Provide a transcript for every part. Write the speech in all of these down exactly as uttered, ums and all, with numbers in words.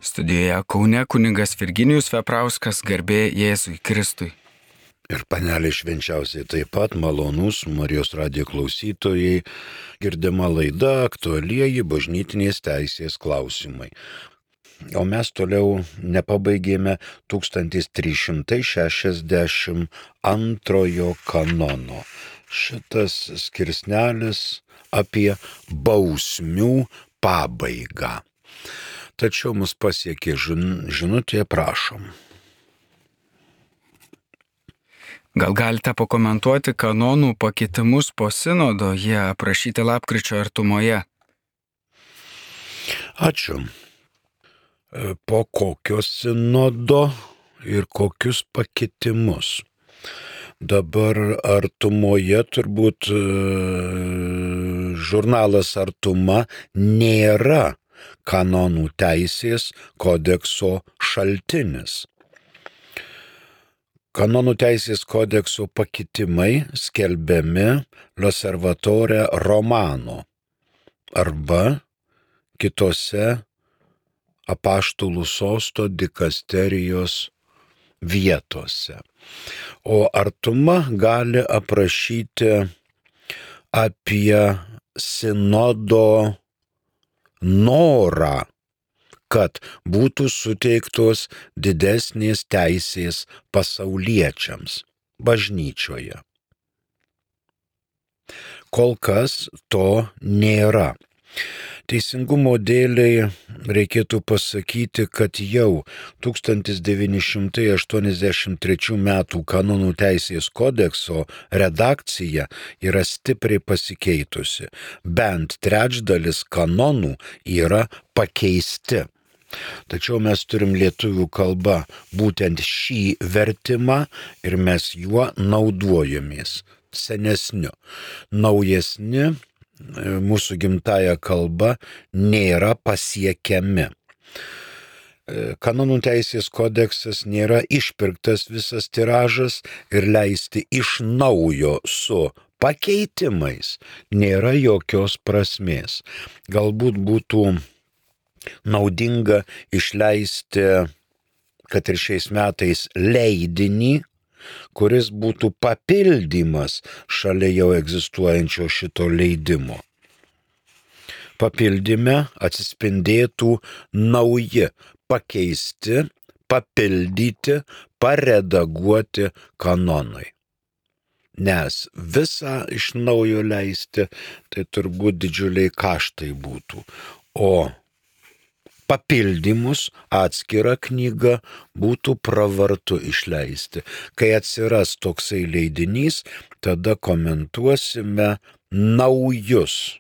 Studijoje Kaune kunigas Virginijus Veprauskas, garbė Jėzui Kristui. Ir panelė švenčiausiai taip pat malonus Marijos radijo klausytojai, girdima laida aktualieji bažnytinės teisės klausimai. O mes toliau nepabaigėme tūkstantis trys šimtai šešiasdešimt antrojo kanono. Šitas skirsnelis apie bausmių pabaigą. Tačiau mus pasiekė žin, žinutė, prašom. Gal galite pakomentuoti kanonų pakeitimus po sinodo, jie aprašyti lapkričio artumoje? Ačiū. Po kokio sinodo ir kokius pakitimus? Dabar artumoje turbūt žurnalas Artuma nėra kanonų teisės kodekso šaltinis. Kanonų teisės kodekso pakitimai skelbiami L'Osservatore Romano arba kitose apaštalų sosto dikasterijos vietose. O Artuma gali aprašyti apie sinodo norą, kad būtų suteiktos didesnės teisės pasauliečiams bažnyčioje. Kol kas to nėra. Teisingumo dėliai reikėtų pasakyti, kad jau tūkstantis devyni šimtai aštuoniasdešimt trečių metų kanonų teisės kodekso redakcija yra stipriai pasikeitusi. Bent trečdalis kanonų yra pakeisti. Tačiau mes turim lietuvių kalbą būtent šį vertimą ir mes juo naudojamės senesniu. Naujesni mūsų gimtąja kalba nėra pasiekiami. Kanonų teisės kodeksas nėra išpirktas visas tiražas ir leisti iš naujo su pakeitimais nėra jokios prasmės. Galbūt būtų naudinga išleisti, kad ir šiais metais, leidinį, kuris būtų papildymas šalia jau egzistuojančio šito leidimo. Papildyme atsispindėtų nauji, pakeisti, papildyti, paredaguoti kanonai. Nes visą iš naujo leisti, tai turbūt didžiuliai kaštai būtų. O papildymus atskirą knygą būtų pravartu išleisti. Kai atsiras toksai leidinys, tada komentuosime naujus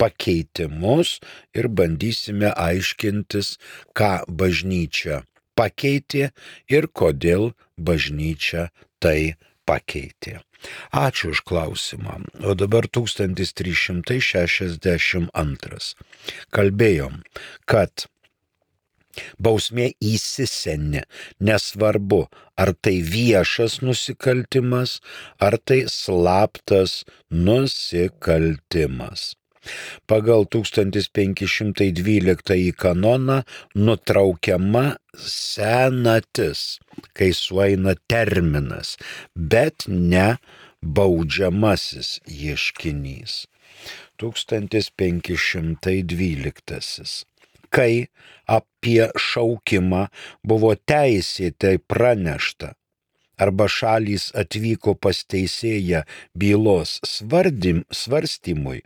pakeitimus ir bandysime aiškintis, ką bažnyčia pakeitė ir kodėl bažnyčia tai pakeitė. Ačiū už klausimą. O dabar tūkstantis trys šimtai šešiasdešimt antras. Kalbėjom, kad bausmė įsiseni, nesvarbu, ar tai viešas nusikaltimas, ar tai slaptas nusikaltimas. Pagal tūkstantis penki šimtai dvyliktąjį kanoną nutraukiama senatis, kai sueina terminas, bet ne baudžiamasis ieškinys. tūkstantis penki šimtai dvyliktasis. Kai apie šaukimą buvo teisėtai pranešta, arba šalys atvyko pas teisėją bylos svardim, svarstymui,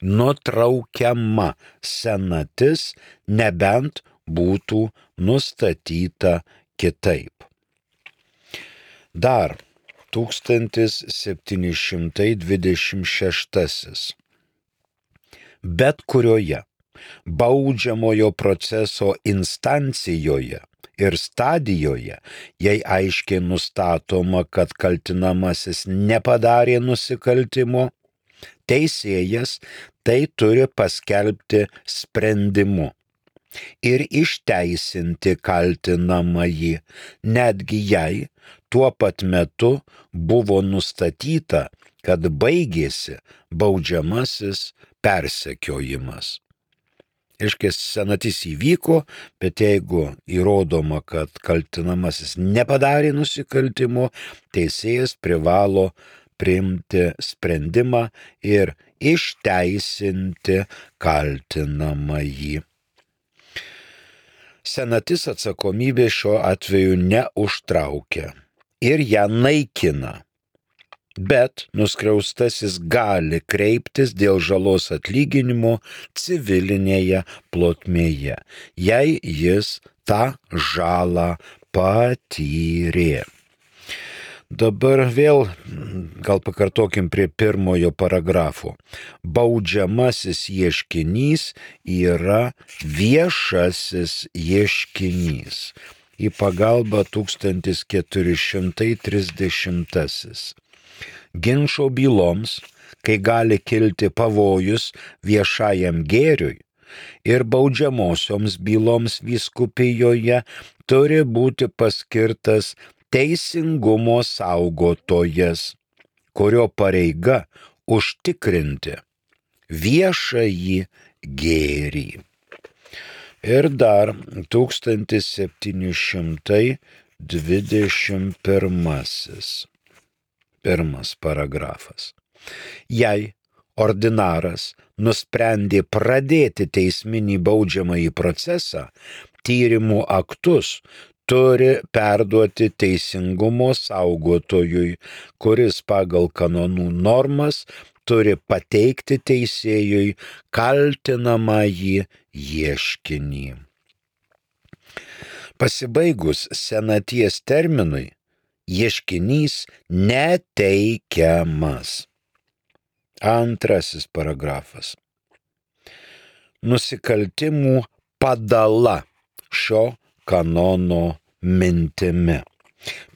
nutraukiama senatis, nebent būtų nustatyta kitaip. Dar tūkstantis septyni šimtai dvidešimt šeštasis. Bet kurioje baudžiamojo proceso instancijoje ir stadijoje, jei aiškiai nustatoma, kad kaltinamasis nepadarė nusikaltimo, teisėjas tai turi paskelbti sprendimu ir išteisinti kaltinamąjį, netgi jei tuo pat metu buvo nustatyta, kad baigėsi baudžiamasis persekiojimas. Iškės senatis įvyko, bet jeigu įrodoma, kad kaltinamasis nepadarė nusikaltimo, teisėjas privalo priimti sprendimą ir išteisinti kaltinamąjį. Senatis atsakomybė šiuo atveju neužtraukia ir ją naikina. Bet nuskriaustasis gali kreiptis dėl žalos atlyginimo civilinėje plotmėje, jei jis tą žalą patyrė. Dabar vėl gal pakartokim prie pirmojo paragrafo. Baudžiamasis ieškinys yra viešasis ieškinys. Į pagalbą tūkstantis keturi šimtai trisdešimtasis. Ginčo byloms, kai gali kilti pavojus viešajam gėriui, ir baudžiamosioms byloms vyskupijoje turi būti paskirtas teisingumo saugotojas, kurio pareiga užtikrinti viešąjį gėrį. Ir dar tūkstantis septyni šimtai dvidešimt pirmasis. Pirmas paragrafas. Jei ordinaras nusprendė pradėti teisminį baudžiamąjį procesą, tyrimų aktus turi perduoti teisingumo saugotojui, kuris pagal kanonų normas turi pateikti teisėjui kaltinamąjį ieškinį. Pasibaigus senaties terminui, ieškinys neteikiamas. Antrasis paragrafas. Nusikaltimų padala šio kanono mintimi.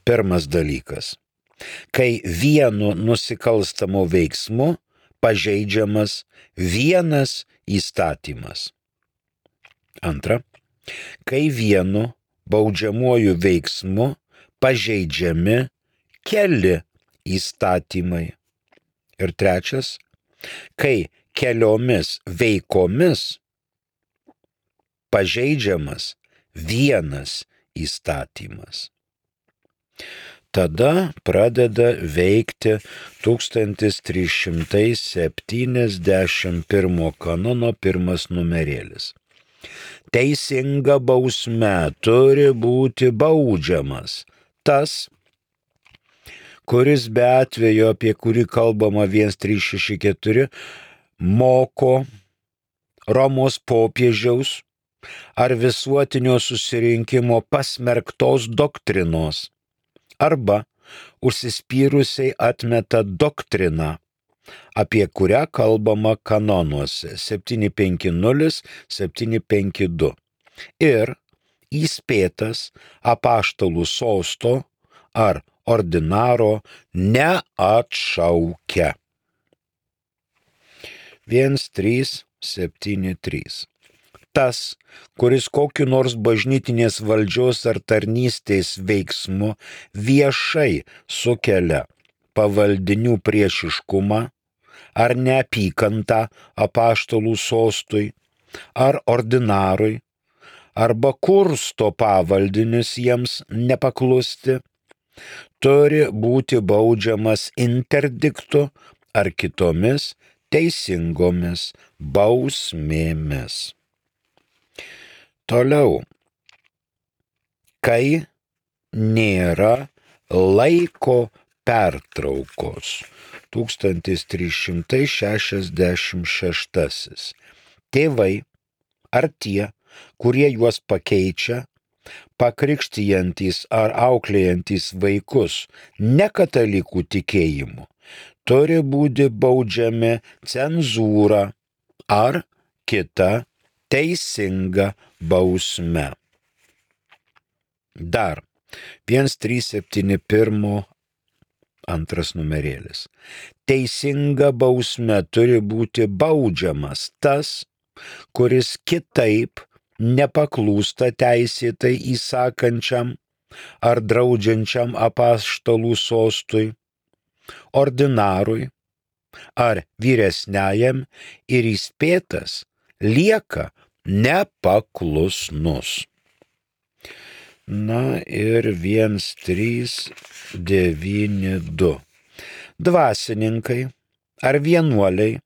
Pirmas dalykas. Kai vienu nusikalstamu veiksmu pažeidžiamas vienas įstatymas. Antra. Kai vienu baudžiamuoju veiksmu pažeidžiami keli įstatymai. Ir trečias, kai keliomis veikomis pažeidžiamas vienas įstatymas. Tada pradeda veikti tūkstantis trys šimtai septyniasdešimt pirmo kanono pirmas numerėlis. Teisinga bausme turi būti baudžiamas tas, kuris be atvejo, apie kurį kalbama vienas trys šeši keturi, moko Romos popiežiaus ar visuotinio susirinkimo pasmerktos doktrinos arba užsispyrusiai atmeta doktriną, apie kurią kalbama kanonuose septyni penki nulis septyni penki du ir įspėtas apaštalų sosto ar ordinaro neatšaukia. vienas trys septyni trys. Tas, kuris kokiu nors bažnytinės valdžios ar tarnystės veiksmu viešai sukelia pavaldinių priešiškumą ar neapykantą apaštalų sostui ar ordinarui, arba kursto pavaldinius jiems nepaklusti, turi būti baudžiamas interdiktu ar kitomis teisingomis bausmėmis. Toliau. Kai nėra laiko pertraukos. tūkstantis trys šimtai šešiasdešimt šeštasis. Tėvai ar tie, kurie juos pakeičia, pakrikštijantys ar auklėjantys vaikus nekatalikų tikėjimu, turi būti baudžiami cenzūra ar kita teisinga bausme. Dar vienas trys septyni pirmo antras numerėlis. Teisinga bausme turi būti baudžiamas tas, kuris kitaip nepaklūsta teisėtai įsakančiam ar draudžiančiam apaštalų sostui, ordinarui ar vyresniajam ir įspėtas lieka nepaklusnus. Na ir vienas trys devyni du. Dvasininkai ar vienuoliai,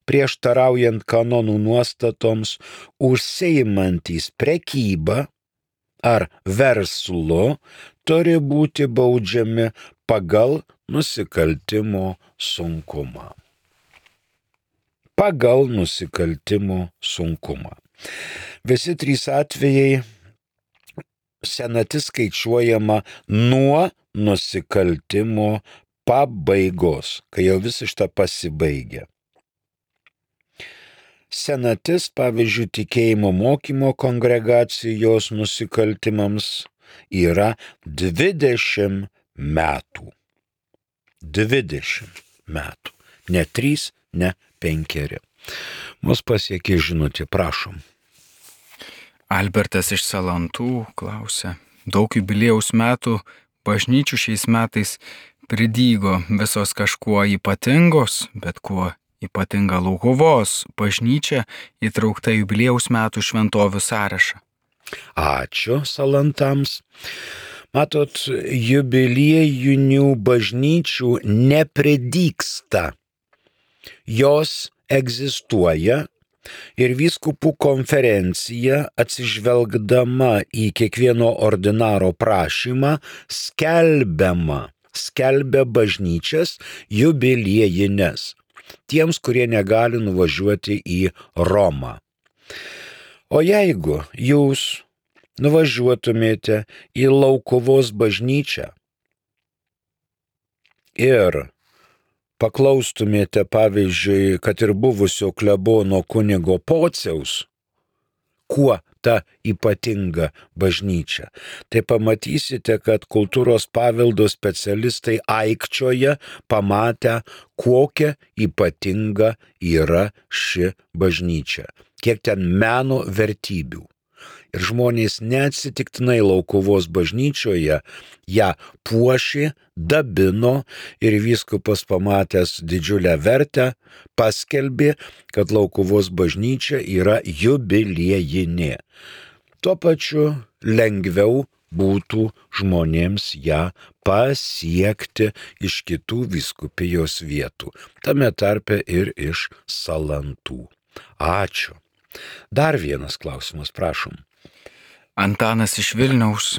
prieštaraujant kanonų nuostatoms, užsiimantys prekybą ar verslu, turi būti baudžiami pagal nusikaltimo sunkumą. Pagal nusikaltimo sunkumą. Visi trys atvejai senatis skaičiuojama nuo nusikaltimo pabaigos, kai jau visą šitą pasibaigia. Senatis, pavyzdžiui, tikėjimo mokymo kongregacijos nusikaltimams yra dvidešimt metų. dvidešimt metų. Ne trys, ne penkeri. Mus pasiekė žinutė, prašom. Albertas iš Salantų klausia. Daug jubiliejaus metų bažnyčių šiais metais pridygo, visos kažkuo ypatingos, bet kuo ypatinga Laukuvos bažnyčia įtraukta jubiliejaus metų šventovių sąrašą. Ačiū Salantams. Matot, jubiliejinių bažnyčių nepridygsta. Jos egzistuoja ir vyskupų konferencija, atsižvelgdama į kiekvieno ordinaro prašymą, skelbiama, skelbia bažnyčias jubiliejines tiems, kurie negali nuvažiuoti į Romą. O jeigu jūs nuvažiuotumėte į Laukuvos bažnyčią ir paklaustumėte, pavyzdžiui, kad ir buvusio klebono kunigo Pociaus, kuo ta ypatinga bažnyčia, tai pamatysite, kad kultūros paveldo specialistai aikčioja pamatę, kokia ypatinga yra ši bažnyčia, kiek ten meno vertybių. Ir žmonės neatsitiktinai Laukuvos bažnyčioje ją puošė, dabino ir vyskupas pamatęs didžiulę vertę paskelbė, kad Laukuvos bažnyčia yra jubiliejinė. Tuo pačiu lengviau būtų žmonėms ją pasiekti iš kitų vyskupijos vietų, tame tarpe ir iš Salantų. Ačiū. Dar vienas klausimas, prašom. Antanas iš Vilniaus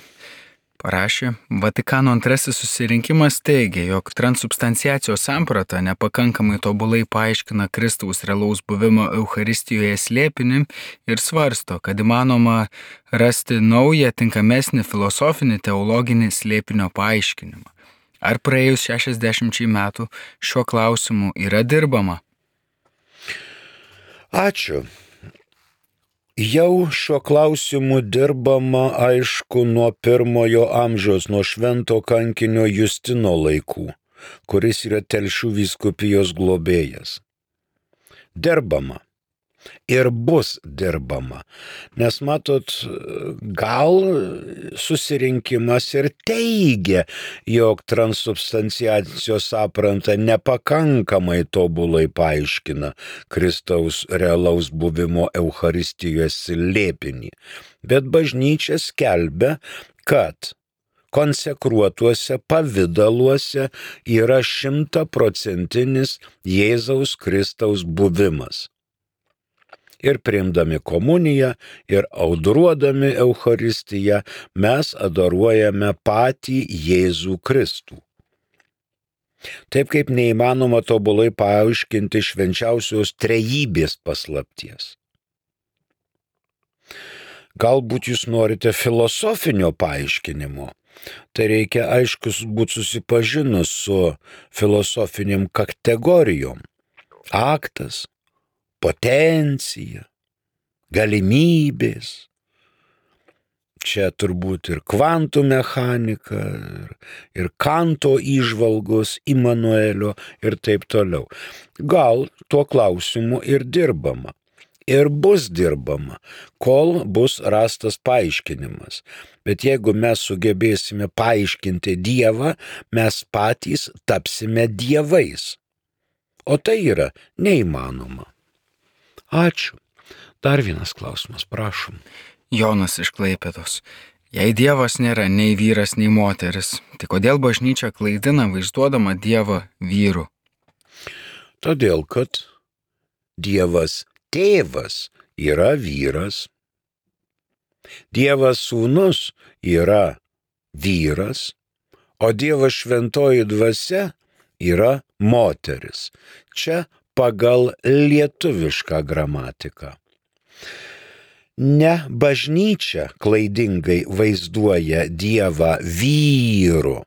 parašė, Vatikano antrasis susirinkimas teigia, jog transubstanciacijos samprata nepakankamai tobulai paaiškina Kristaus realaus buvimo Eucharistijoje slėpinį ir svarsto, kad įmanoma rasti naują, tinkamesnį filosofinį teologinį slėpinio paaiškinimą. Ar praėjus šešiasdešimčiai metų šiuo klausimu yra dirbama? Ačiū. Jau šiuo klausimu dirbama, aišku, nuo pirmojo amžiaus, nuo švento kankinio Justino laikų, kuris yra Telšių vyskupijos globėjas. Dirbama. Ir bus dirbama. Nes matot, gal susirinkimas ir teigia, jog transubstanciacijos samprata nepakankamai tobulai paaiškina Kristaus realaus buvimo Eucharistijoje slėpinį. Bet bažnyčia skelbia, kad konsekruotuose pavidaluose yra šimtaprocentinis Jėzaus Kristaus buvimas. Ir priimdami komuniją, ir audruodami Eucharistiją, mes adoruojame patį Jėzų Kristų. Taip kaip neįmanoma tobulai paaiškinti švenčiausios trejybės paslapties. Galbūt jūs norite filosofinio paaiškinimo, tai reikia aiškus būti susipažinus su filosofiniam kategorijom. Aktas, potencija, galimybės. Čia turbūt ir kvantų mechanika, ir, ir Kanto įžvalgos, Immanuelio ir taip toliau. Gal tuo klausimu ir dirbama. Ir bus dirbama, kol bus rastas paaiškinimas. Bet jeigu mes sugebėsime paaiškinti Dievą, mes patys tapsime dievais. O tai yra neįmanoma. Ačiū. Dar vienas klausimas, prašom. Jonas iš Klaipėdos. Jei Dievas nėra nei vyras, nei moteris, tai kodėl bažnyčia klaidina vaizduodama Dievą vyru? Todėl, kad Dievas tėvas yra vyras, Dievas sūnus yra vyras, o Dievas šventoji dvasia yra moteris. Čia pagal lietuvišką gramatiką. Ne bažnyčia klaidingai vaizduoja Dievą vyru,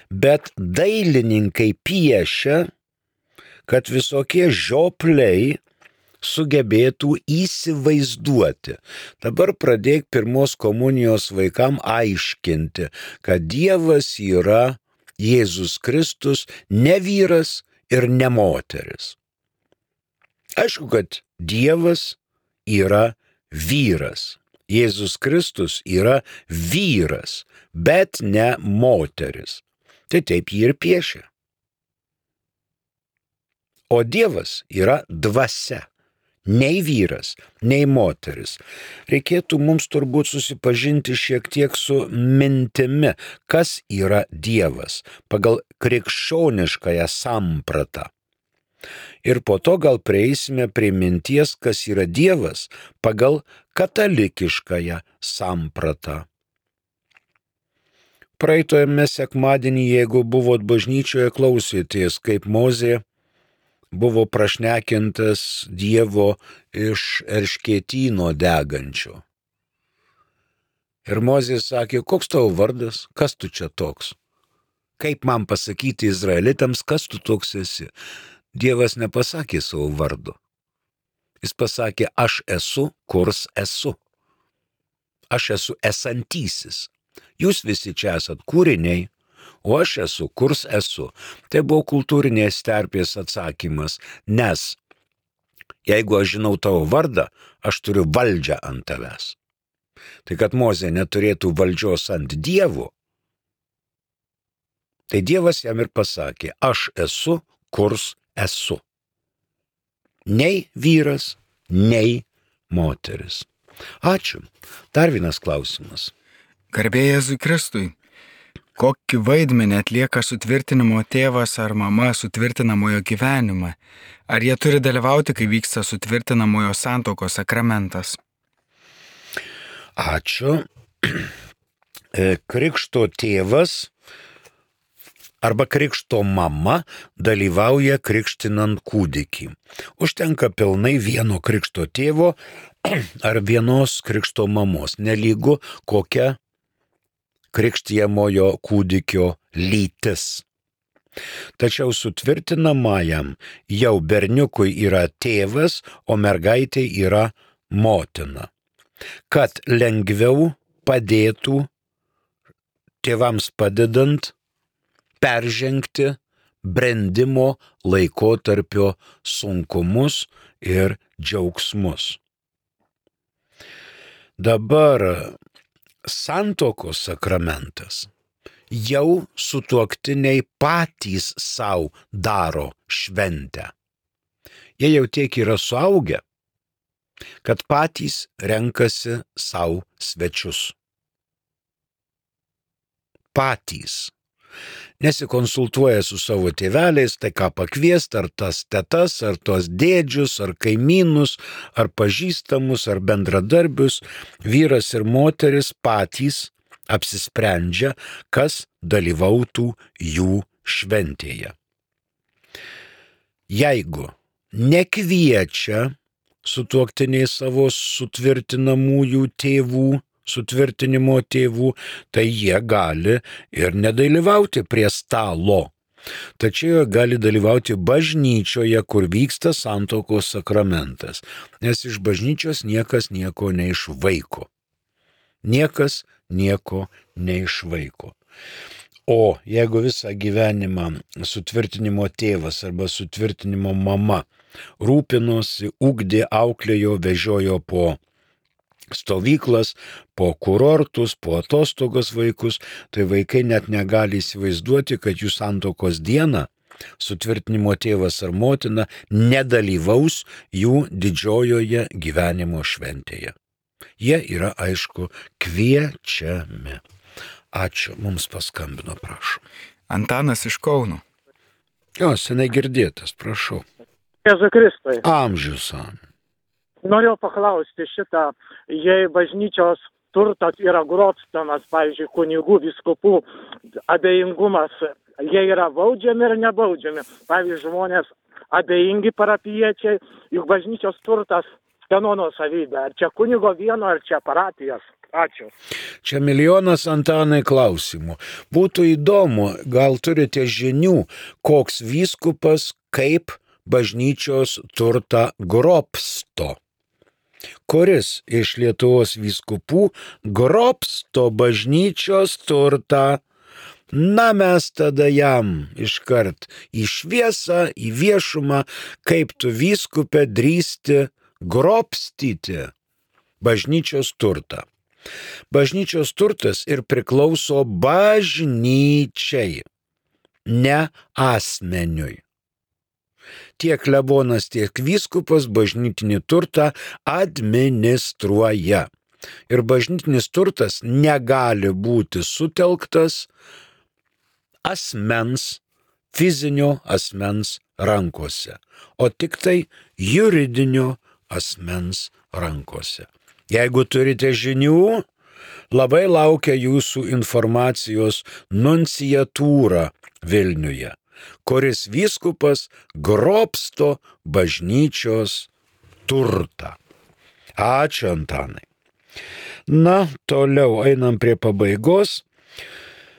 bet dailininkai piešia, kad visokie žiopliai sugebėtų įsivaizduoti. Dabar pradėk pirmos komunijos vaikam aiškinti, kad Dievas yra Jėzus Kristus, ne vyras ir ne moteris. Aišku, kad Dievas yra vyras. Jėzus Kristus yra vyras, bet ne moteris. Tai taip jį ir piešia. O Dievas yra dvasia. Nei vyras, nei moteris. Reikėtų mums turbūt susipažinti šiek tiek su mintimi, kas yra Dievas pagal krikščioniškąją sampratą. Ir po to gal prieisime prie minties, kas yra Dievas pagal katalikiškąją sampratą. Praeitojame sekmadienį, jeigu buvot bažnyčioje, klausėtės, kaip Mozė buvo prašnekintas Dievo iš erškėtyno degančio. Ir Mozė sakė, koks tavo vardas, kas tu čia toks? Kaip man pasakyti izraelitams, kas tu toks esi? Dievas nepasakė savo vardo. Jis pasakė, aš esu, kurs esu. Aš esu esantysis. Jūs visi čia esat kūriniai, o aš esu, kurs esu. Tai buvo kultūrinės terpės atsakymas, nes jeigu aš žinau tavo vardą, aš turiu valdžią ant tavęs. Tai kad Mozė neturėtų valdžios ant Dievo, tai Dievas jam ir pasakė, aš esu, kurs esu. Nei vyras, nei moteris. Ačiū. Dar vienas klausimas. Garbė Jėzui Kristui. Kokį vaidmenį atlieka sutvirtinimo tėvas ar mama sutvirtinamojo gyvenimą? Ar jie turi dalyvauti, kai vyksta sutvirtinamojo santuokos sakramentas? Ačiū. Krikšto tėvas arba krikšto mama dalyvauja krikštinant kūdikį. Užtenka pilnai vieno krikšto tėvo ar vienos krikšto mamos, nelygu kokia krikštijamojo kūdikio lytis. Tačiau sutvirtinamajam jau berniukui yra tėvas, o mergaitė yra motina. Kad lengviau padėtų tėvams padedant peržengti brendimo laikotarpio sunkumus ir džiaugsmus. Dabar santuokos sakramentas jau sutuoktiniai patys savo daro šventę. Jie jau tiek yra suaugę, kad patys renkasi savo svečius. Patys. Nesikonsultuoja su savo tėveliais, tai ką pakviesti, ar tas tetas, ar tos dėdžius, ar kaimynus, ar pažįstamus, ar bendradarbius. Vyras ir moteris patys apsisprendžia, kas dalyvautų jų šventėje. Jeigu nekviečia sutuoktiniai savo sutvirtinamųjų tėvų, sutvirtinimo tėvų, tai jie gali ir nedalyvauti prie stalo. Tačiau jie gali dalyvauti bažnyčioje, kur vyksta santuokos sakramentas, nes iš bažnyčios niekas nieko neišvaiko. Niekas nieko neišvaiko. O jeigu visą gyvenimą sutvirtinimo tėvas arba sutvirtinimo mama rūpinosi, ugdė, auklėjo, vežiojo po stovyklas, po kurortus, po atostogas vaikus, tai vaikai net negali įsivaizduoti, kad jų santuokos dieną sutvirtinimo tėvas ar motina nedalyvaus jų didžiojoje gyvenimo šventėje. Jie yra, aišku, kviečiami. Ačiū, mums paskambino, prašau. Antanas iš Kauno. Jo, senai girdėtas, prašau. Jėzui Kristui. Amžius amen. Norėjau paklausti šitą, jei bažnyčios turtas yra grobstamas, pavyzdžiui, kunigų, vyskupų abejingumas, jie yra baudžiami ir nebaudžiami. Pavyzdžiui, žmonės abejingi parapiečiai, juk bažnyčios turtas kieno nuosavybė. Ar čia kunigo vieno, ar čia parapijos? Ačiū. Čia milijonas, Antanai, klausimų. Būtų įdomu, gal turite žinių, koks vyskupas kaip bažnyčios turtą grobsto. Kuris iš Lietuvos vyskupų grobsto bažnyčios turtą? Na, mes tada jam iškart į šviesą, į viešumą, kaip tu vyskupė drįsti grobstyti bažnyčios turtą. Bažnyčios turtas ir priklauso bažnyčiai, ne asmeniui. Tiek klebonas, tiek vyskupas bažnytinį turtą administruoja. Ir bažnytinis turtas negali būti sutelktas asmens, fizinio asmens rankose, o tik tai juridinio asmens rankose. Jeigu turite žinių, labai laukia jūsų informacijos nunciatūra Vilniuje, kuris vyskupas grobsto bažnyčios turtą. Ačiū, Antanai. Na, toliau einam prie pabaigos,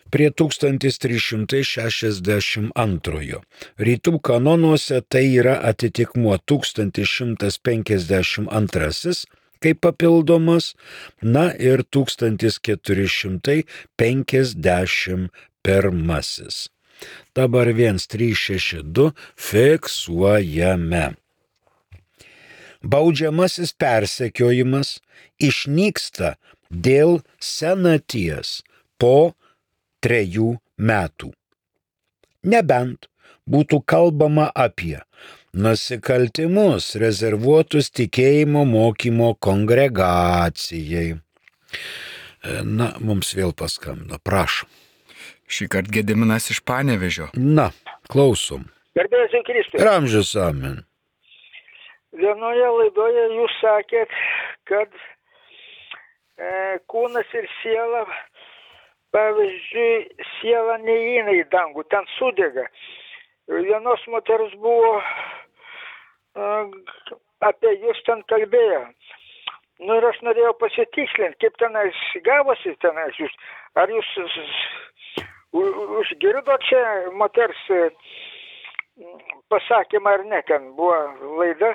prie tūkstantis trys šimtai šešiasdešimt antrojo. Rytų kanonuose tai yra atitikmuo tūkstantis šimtas penkiasdešimt antrasis kaip papildomas, na ir tūkstantis keturi šimtai penkiasdešimt pirmasis. Dabar vienas trys šeši du fiksuojame. Baudžiamasis persekiojimas išnyksta dėl senaties po trejų metų. Nebent būtų kalbama apie nusikaltimus rezervuotus tikėjimo mokymo kongregacijai. Na, mums vėl paskambino, prašom. Šį kartą Gediminas iš Panevėžio. Na, klausom. Garbėsiu Kristui. Ir amžius amen. Vienoje laidoje jūs sakėt, kad e, kūnas ir siela, pavyzdžiui, siela neįeina į dangų, ten sudega. Vienos moters buvo, e, apie jūs ten kalbėjo. Nu ir aš norėjau pasitikslinti, kaip tenais gavosi tenais jūs. Ar jūs užgirdo čia moters pasakymą ar ne, ten buvo laida,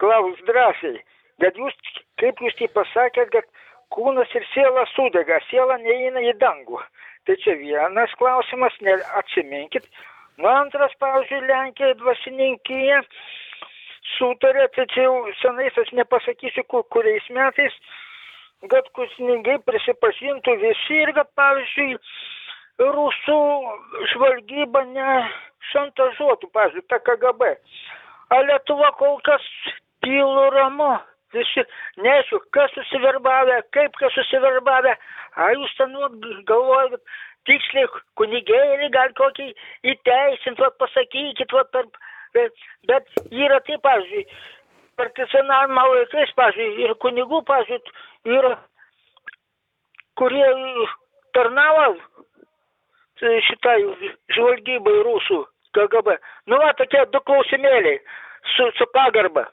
klaus drąsiai. Bet jūs, kaip jūs tai pasakėt, kad kūnas ir siela sudega, siela neįeina į dangų. Tai čia vienas klausimas, ne, atsiminkit. Nu antras, pavyzdžiui, Lenkija dvasininkija sutarė, tai čia jau senais aš nepasakysiu, kur, kuriais metais, kad kunigai prisipažintų visi ir kad, pavyzdžiui, rusų žvalgyba ne šantažuotų, pavyzdžiui, ta K G B. A Lietuva kol kas tylu ramu, visi neaišku, kas susiverbavę, kaip kas susiverbavę, a jūs ten galvojat, tiksliai kunigėlį gal kokį įteisint, vat pasakykit, vat per, bet, bet yra taip, pavyzdžiui, partizanavimo laikais, pavyzdžiui, ir kunigų, pavyzdžiui, yra, kurie tarnavo šitai žvalgybai rusų K G B. Nu, va, tokie du klausimėliai su, su pagarba.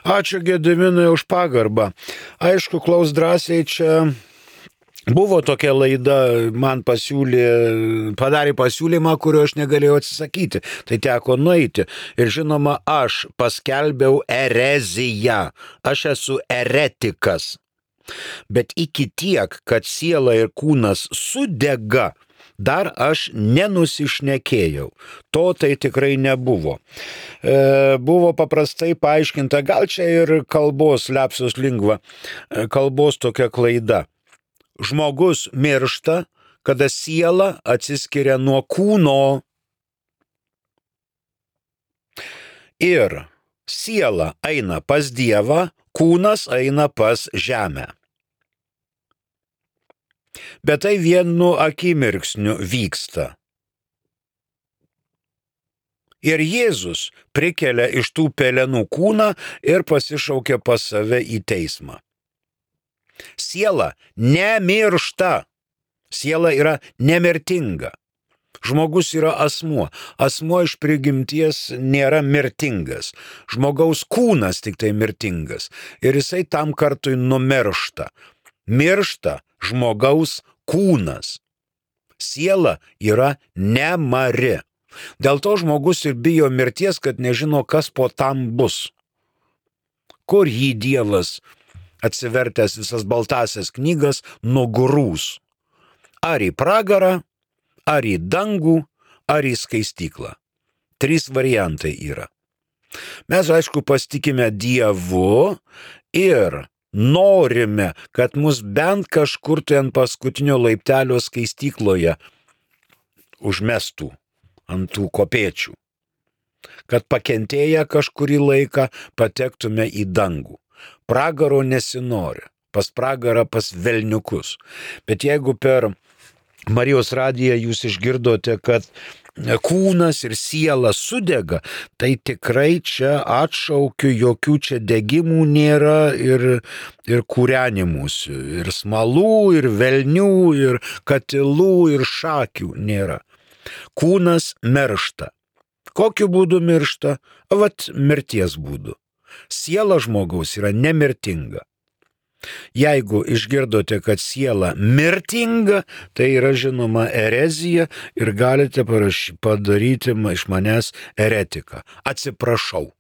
Ačiū Gediminui už pagarbą. Aišku, klaus drąsiai, čia buvo tokia laida, man pasiūlė, padarė pasiūlymą, kurio aš negalėjau atsisakyti. Tai teko nueiti. Ir žinoma, aš paskelbiau ereziją. Aš esu eretikas. Bet iki tiek, kad siela ir kūnas sudega, dar aš nenusišnekėjau. To tai tikrai nebuvo. E, buvo paprastai paaiškinta, gal čia ir kalbos lapsus lingva, kalbos tokia klaida. Žmogus miršta, kada siela atsiskiria nuo kūno. Ir siela eina pas Dievą, kūnas eina pas žemę. Bet tai vienu akimirksniu vyksta. Ir Jėzus prikelia iš tų pelenų kūną ir pasišaukia pas save į teismą. Siela nemiršta. Siela yra nemirtinga. Žmogus yra asmuo. Asmuo iš prigimties nėra mirtingas. Žmogaus kūnas tik tai mirtingas. Ir jisai tam kartui numiršta. Miršta žmogaus kūnas. Siela yra nemari. Dėl to žmogus ir bijo mirties, kad nežino, kas po tam bus. Kur jį Dievas, atsivertęs visas baltasias knygas, nugrūs. Ar į pragarą, ar į dangų, ar į skaistyklą. Trys variantai yra. Mes, aišku, pasitikime Dievu ir norime, kad mus bent kažkur tai ant paskutinio laiptelio skaistykloje užmestų ant tų kopėčių. Kad pakentėję kažkurį laiką patektume į dangų. Pragaro nesinori. Pas pragarą pas velniukus. Bet jeigu per Marijos radiją jūs išgirdote, kad kūnas ir siela sudega, tai tikrai čia atšaukiu, jokių čia degimų nėra ir, ir kūrenimusių, ir smalų, ir velnių, ir katilų, ir šakių nėra. Kūnas miršta. Kokiu būdu miršta? Vat mirties būdu. Siela žmogaus yra nemirtinga. Jeigu išgirdote, kad siela mirtinga, tai yra žinoma erezija ir galite paraš... padaryti iš manęs eretiką. Atsiprašau.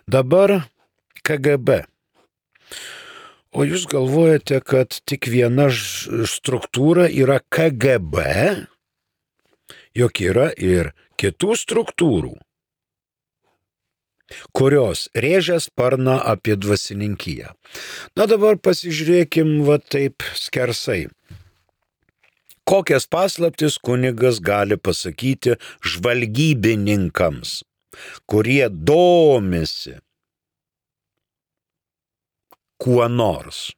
Dabar K G B. O jūs galvojate, kad tik viena struktūra yra K G B? Juk yra ir kitų struktūrų, kurios rėžia sparną apie dvasininkiją. Na dabar pasižiūrėkim va taip skersai. Kokias paslaptis kunigas gali pasakyti žvalgybininkams, kurie domisi kuo nors.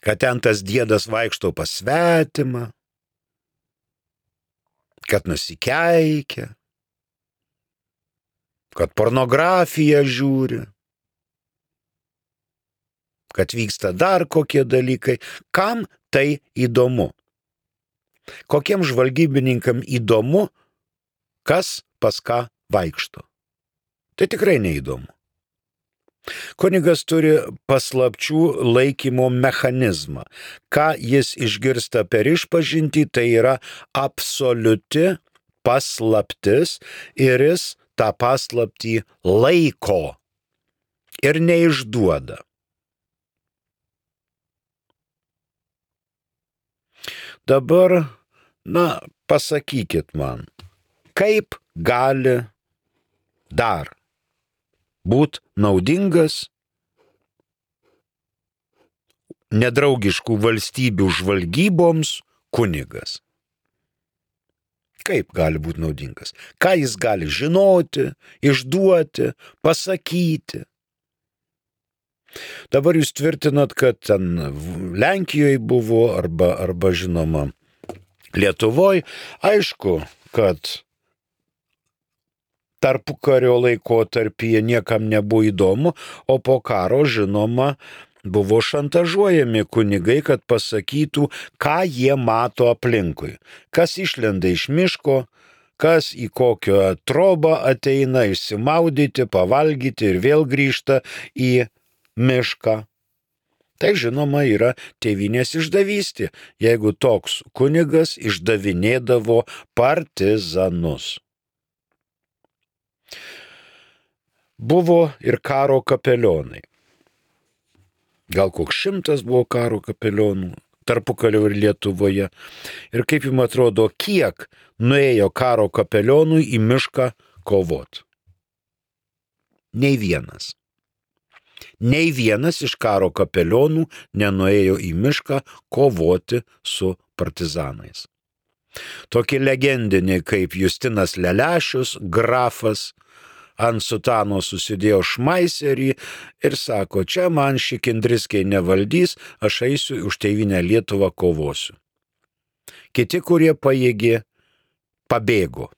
Kad ten tas diedas vaikšto pas svetimą, kad nusikeikia, kad pornografiją žiūri, kad vyksta dar kokie dalykai. Kam tai įdomu? Kokiem žvalgybininkam įdomu, kas pas ką vaikšto? Tai tikrai neįdomu. Kunigas turi paslapčių laikymo mechanizmą. Ką jis išgirsta per išpažintį, tai yra absoliuti paslaptis ir jis tą paslaptį laiko ir neišduoda. Dabar, na, pasakykit man, kaip gali dar būt naudingas nedraugiškų valstybių žvalgyboms kunigas? Kaip gali būti naudingas? Ką jis gali žinoti, išduoti, pasakyti? Dabar jūs tvirtinat, kad ten Lenkijoje buvo arba, arba žinoma Lietuvoje. Aišku, kad tarpukario laikotarpyje niekam nebuvo įdomu, o po karo, žinoma, buvo šantažuojami kunigai, kad pasakytų, ką jie mato aplinkui. Kas išlenda iš miško, kas į kokią trobą ateina išsimaudyti, pavalgyti ir vėl grįžta į mišką. Tai, žinoma, yra tėvynės išdavystė, jeigu toks kunigas išdavinėdavo partizanus. Buvo ir karo kapelionai. Gal koks šimtas buvo karo kapelionų tarpukario ir Lietuvoje. Ir kaip jums atrodo, kiek nuėjo karo kapelionų į mišką kovot? Nei vienas. Nei vienas iš karo kapelionų nenuėjo į mišką kovoti su partizanais. Tokie legendiniai kaip Justinas Lelešius, grafas, ant sutano susidėjo šmaiserį ir sako, čia man šikindriskiai nevaldys, aš eisiu už tėvynę Lietuvą kovosiu. Kiti, kurie pajėgė, pabėgo,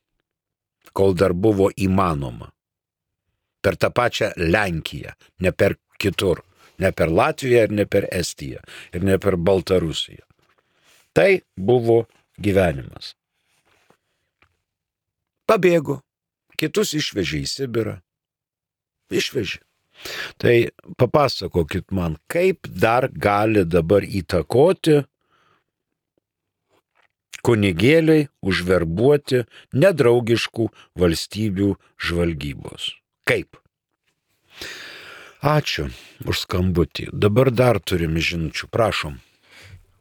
kol dar buvo įmanoma. Per tą pačią Lenkiją, ne per kitur, ne per Latviją ir ne per Estiją ir ne per Baltarusiją. Tai buvo gyvenimas. Pabėgo. Kitus išvežė į Sibirą. Išvežė. Tai papasakokit man, kaip dar gali dabar įtakoti kunigėliai užverbuoti nedraugiškų valstybių žvalgybos. Kaip? Ačiū už skambutį. Dabar dar turim žinučių. Prašom.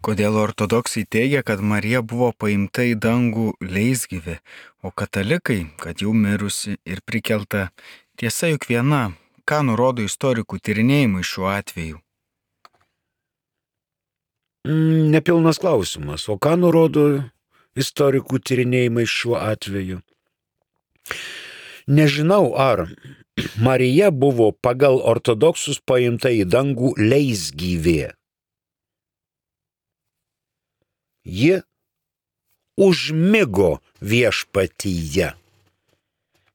Kodėl ortodoksai teigia, kad Marija buvo paimta į dangų leisgyvė, o katalikai, kad jau mirusi ir prikelta? Tiesa juk viena, ką nurodo istorikų tyrinėjimai šiuo atveju? Mm, nepilnas klausimas. O ką nurodo istorikų tyrinėjimai šiuo atveju? Nežinau, ar Marija buvo pagal ortodoksus paimta į dangų leisgyvė. Ji užmigo viešpatyje.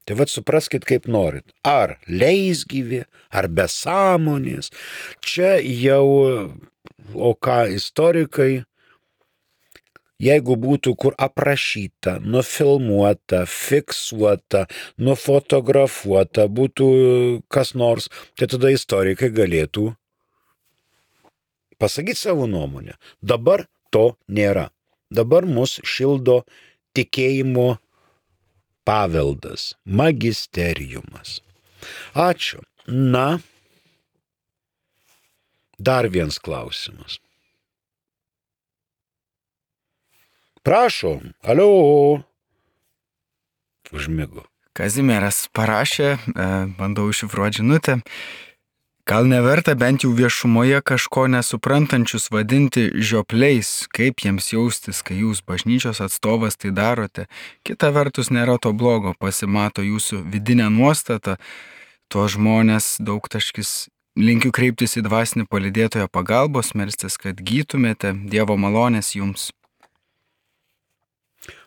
Tai vat supraskit, kaip norit. Ar leisgyvė, ar be sąmonės. Čia jau, o ką istorikai, jeigu būtų kur aprašyta, nufilmuota, fiksuota, nufotografuota, būtų kas nors, tai tada istorikai galėtų pasakyti savo nuomonę. Dabar to nėra. Dabar mus šildo tikėjimo paveldas, magisteriumas. Ačiū. Na, dar vienas klausimas. Prašom, alio. Užmigo. Kazimieras parašė, bandau iššifruoti žinutę. Gal neverta bent jau viešumoje kažko nesuprantančius vadinti žiopliais, kaip jiems jaustis, kai jūs bažnyčios atstovas tai darote. Kita vertus nėra to blogo, pasimato jūsų vidinė nuostata, tuo žmonės daugtaškis. Linkiu kreiptis į dvasinį palydėtojo pagalbos, melstis, kad gytumėte, Dievo malonės jums.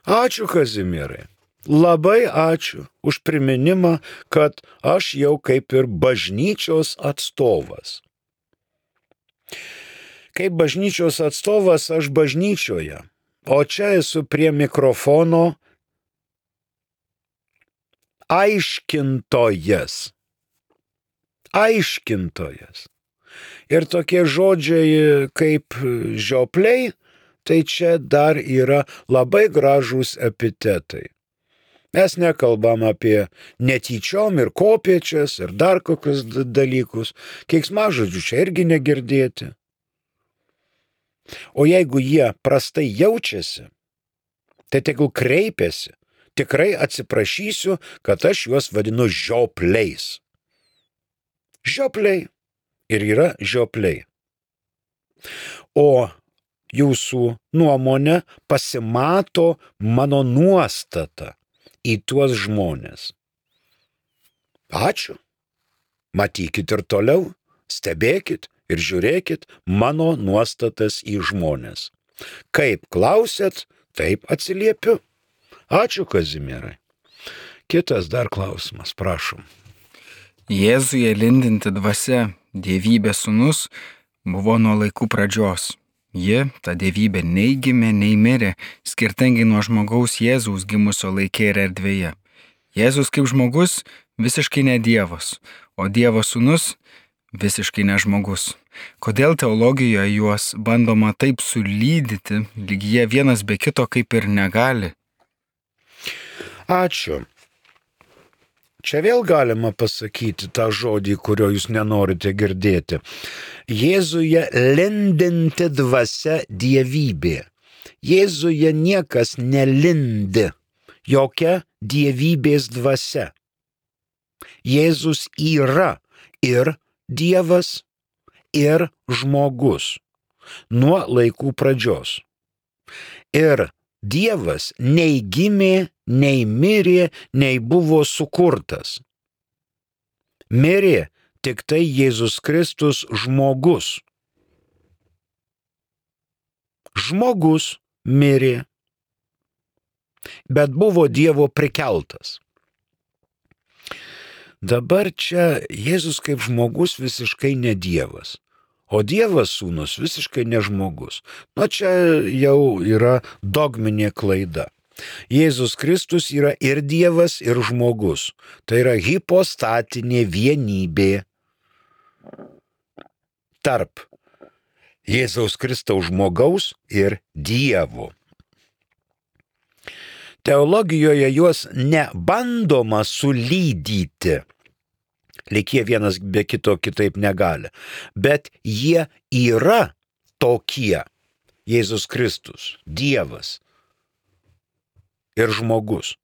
Ačiū, Kazimierai. Labai ačiū už priminimą, kad aš jau kaip ir bažnyčios atstovas. Kaip bažnyčios atstovas aš bažnyčioje, o čia esu prie mikrofono aiškintojas. Aiškintojas. Ir tokie žodžiai kaip žiopliai, tai čia dar yra labai gražūs epitetai. Mes nekalbam apie netyčiom ir kopiečias ir dar kokius dalykus. Keiksmažodžių čia irgi negirdėti. O jeigu jie prastai jaučiasi, tai tegul kreipiasi. Tikrai atsiprašysiu, kad aš juos vadinu žiopliais. Žiopliai ir yra žiopliai. O jūsų nuomonė pasimato mano nuostata į tuos žmonės. Ačiū. Matykit ir toliau, stebėkit ir žiūrėkit mano nuostatas į žmonės. Kaip klausėt, taip atsiliepiu. Ačiū, Kazimierai. Kitas dar klausimas, prašom. Jėzuje lindinti dvasia, dievybės sūnus, buvo nuo laikų pradžios. Ji, ta dievybė, nei gimė, nei mirė, skirtingai nuo žmogaus Jėzaus gimusio laike ir erdvėje. Jėzus kaip žmogus visiškai ne Dievas, o Dievo sūnus visiškai ne žmogus. Kodėl teologijoje juos bandoma taip sulydyti, lyg jie vienas be kito kaip ir negali? Ačiū. Čia vėl galima pasakyti tą žodį, kurio jūs nenorite girdėti. Jėzuje lindinti dvasia dievybė. Jėzuje niekas nelindi, jokia dievybės dvasia. Jėzus yra ir Dievas, ir žmogus nuo laikų pradžios. Ir Dievas nei gimė, nei mirė, nei buvo sukurtas. Mirė tik tai Jėzus Kristus žmogus. Žmogus mirė, bet buvo Dievo prikeltas. Dabar čia Jėzus kaip žmogus visiškai ne Dievas, o Dievas sūnus visiškai ne žmogus. Na čia jau yra dogminė klaida. Jėzus Kristus yra ir Dievas, ir žmogus. Tai yra hipostatinė vienybė tarp Jėzaus Kristaus žmogaus ir Dievo. Teologijoje juos nebandoma sulydyti, lyg jie vienas be kito kitaip negali, bet jie yra tokie. Jėzus Kristus, Dievas ir žmogus.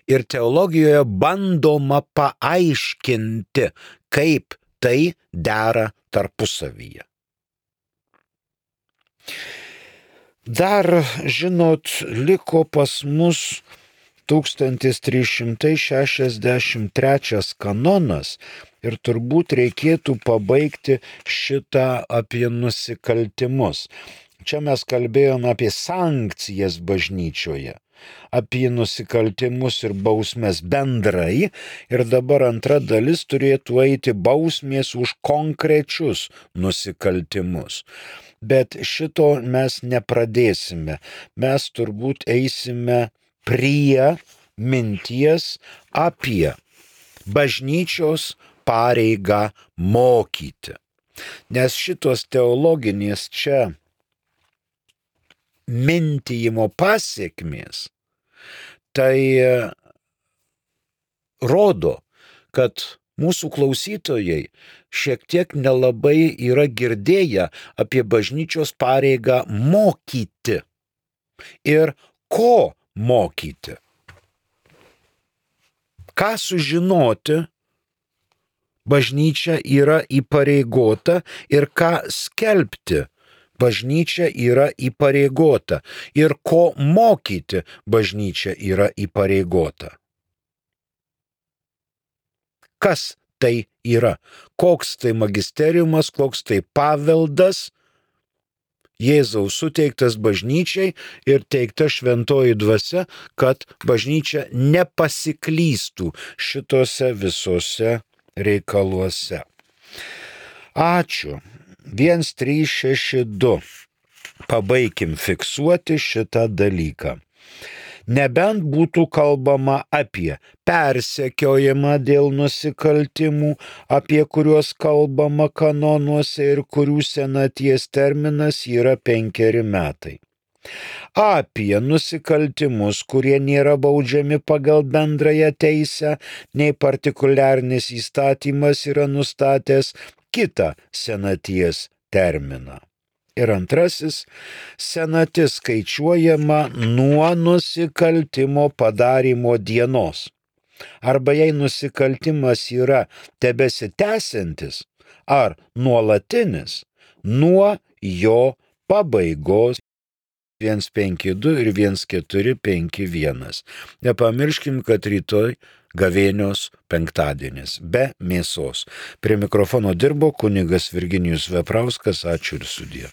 Ir teologijoje bandoma paaiškinti, kaip tai dera tarpusavyje. Dar, žinot, liko pas mus tūkstantis trys šimtai šešiasdešimt trečias kanonas ir turbūt reikėtų pabaigti šitą apie nusikaltimus. Čia mes kalbėjome apie sankcijas bažnyčioje, apie nusikaltimus ir bausmes bendrai, ir dabar antra dalis turėtų eiti bausmės už konkrečius nusikaltimus. Bet šito mes nepradėsime. Mes turbūt eisime prie minties apie bažnyčios pareigą mokyti. Nes šitos teologinės čia mintijimo pasiekmės, tai rodo, kad mūsų klausytojai šiek tiek nelabai yra girdėję apie bažnyčios pareigą mokyti ir ko mokyti. Ką sužinoti bažnyčia yra įpareigota ir ką skelbti bažnyčia yra įpareigota ir ko mokyti bažnyčia yra įpareigota. Kas tai yra? Koks tai magisteriumas, koks tai paveldas Jėzaus suteiktas bažnyčiai ir teikta šventoji dvasia, kad bažnyčia nepasiklystų šitose visose reikaluose. Ačiū. vienas trys šeši du. Pabaikim fiksuoti šitą dalyką. Nebent būtų kalbama apie persekiojimą dėl nusikaltimų, apie kuriuos kalbama kanonuose ir kurių senaties terminas yra penkeri metai. Apie nusikaltimus, kurie nėra baudžiami pagal bendrąją teisę, nei partikuliarnis įstatymas yra nustatęs kitą senaties terminą. Ir antrasis, senatis skaičiuojama nuo nusikaltimo padarymo dienos. Arba jei nusikaltimas yra tebesitęsiantis ar nuolatinis, nuo jo pabaigos. vienas penki du ir vienas keturi penki vienas. Nepamirškim, kad rytoj gavėnios penktadienis, be mėsos. Prie mikrofono dirbo kunigas Virginijus Veprauskas, ačiū ir sudie.